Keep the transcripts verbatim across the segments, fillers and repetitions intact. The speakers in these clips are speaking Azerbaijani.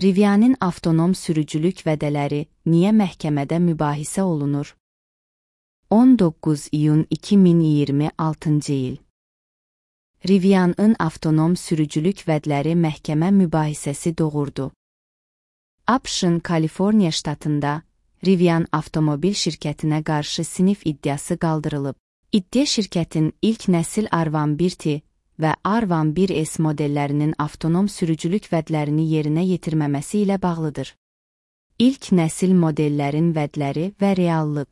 Rivian'ın avtonom sürücülük vədələri niyə məhkəmədə mübahisə olunur? on doqquz iyun iki min iyirmi altıncı il. Rivian'ın avtonom sürücülük vədləri məhkəmə mübahisəsi doğurdu. ABŞ-ın Kaliforniya ştatında Rivian avtomobil şirkətinə qarşı sinif iddiası qaldırılıb. İddia şirkətin ilk nəsil Arvan bir T və Arvan bir S modellərinin avtonom sürücülük vədlərini yerinə yetirməməsi ilə bağlıdır. İlk nəsil modellərin vədləri və reallıq.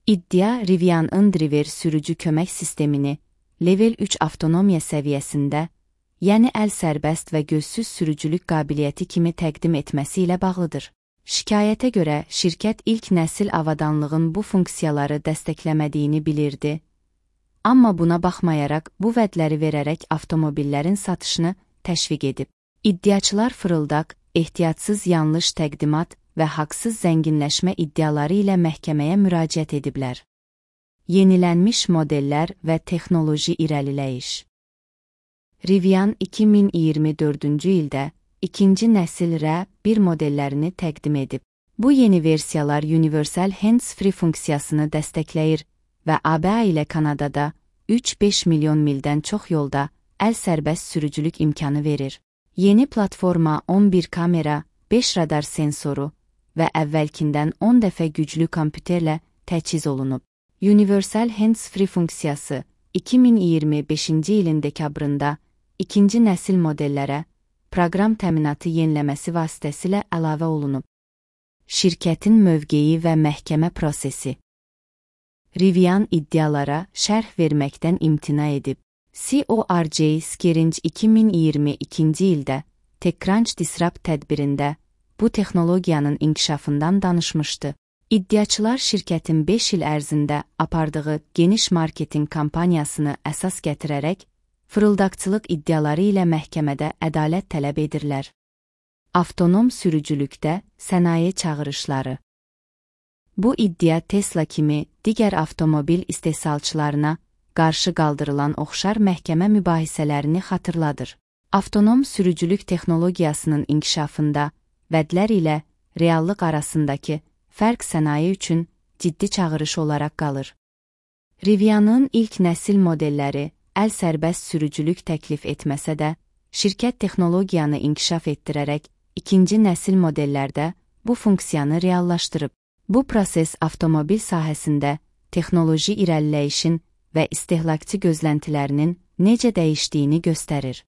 İddia Rivian'ın Driver sürücü kömək sistemini Level üç avtonomiya səviyyəsində, yəni əl sərbəst və gözsüz sürücülük qabiliyyəti kimi təqdim etməsi ilə bağlıdır. Şikayətə görə şirkət ilk nəsil avadanlığın bu funksiyaları dəstəkləmədiyini bilirdi, amma buna baxmayaraq bu vədləri verərək avtomobillərin satışını təşviq edib. İddiaçılar fırıldaq, ehtiyatsız yanlış təqdimat və haqsız zənginləşmə iddiaları ilə məhkəməyə müraciət ediblər. Yenilənmiş modellər və texnoloji irəliləyiş. Rivian iki min iyirmi dördüncü ildə ikinci nəsil R bir modellərini təqdim edib. Bu yeni versiyalar Universal Hands-Free funksiyasını dəstəkləyir və A B A ilə Kanadada üç beş milyon mildən çox yolda əl sərbəst sürücülük imkanı verir. Yeni platforma on bir kamera, beş radar sensoru və əvvəlkindən on dəfə güclü kompüterlə təchiz olunub. Universal Hands-Free funksiyası iki min iyirmi beşinci ilin dekabrında ikinci nəsil modellərə proqram təminatı yeniləməsi vasitəsilə əlavə olunub. Şirkətin mövqeyi və məhkəmə prosesi. Rivian iddialara şərh verməkdən imtina edib. C O R J Skerinc iki min iyirmi ikinci ildə TechCrunch Disrupt tədbirində bu texnologiyanın inkişafından danışmışdı. İddiaçılar şirkətin beş il ərzində apardığı geniş marketinq kampaniyasını əsas gətirərək, fırıldaqçılıq iddiaları ilə məhkəmədə ədalət tələb edirlər. Avtonom sürücülükdə sənaye çağırışları. Bu iddia Tesla kimi digər avtomobil istehsalçılarına qarşı qaldırılan oxşar məhkəmə mübahisələrini xatırladır. Avtonom sürücülük texnologiyasının inkişafında vədlər ilə reallıq arasındakı fərq sənaye üçün ciddi çağırış olaraq qalır. Rivian'ın ilk nəsil modelləri əl sərbəst sürücülük təklif etməsə də, şirkət texnologiyanı inkişaf etdirərək ikinci nəsil modellərdə bu funksiyanı reallaşdırıb. Bu proses avtomobil sahəsində texnoloji irəliləyişin və istehlakçı gözləntilərinin necə dəyişdiyini göstərir.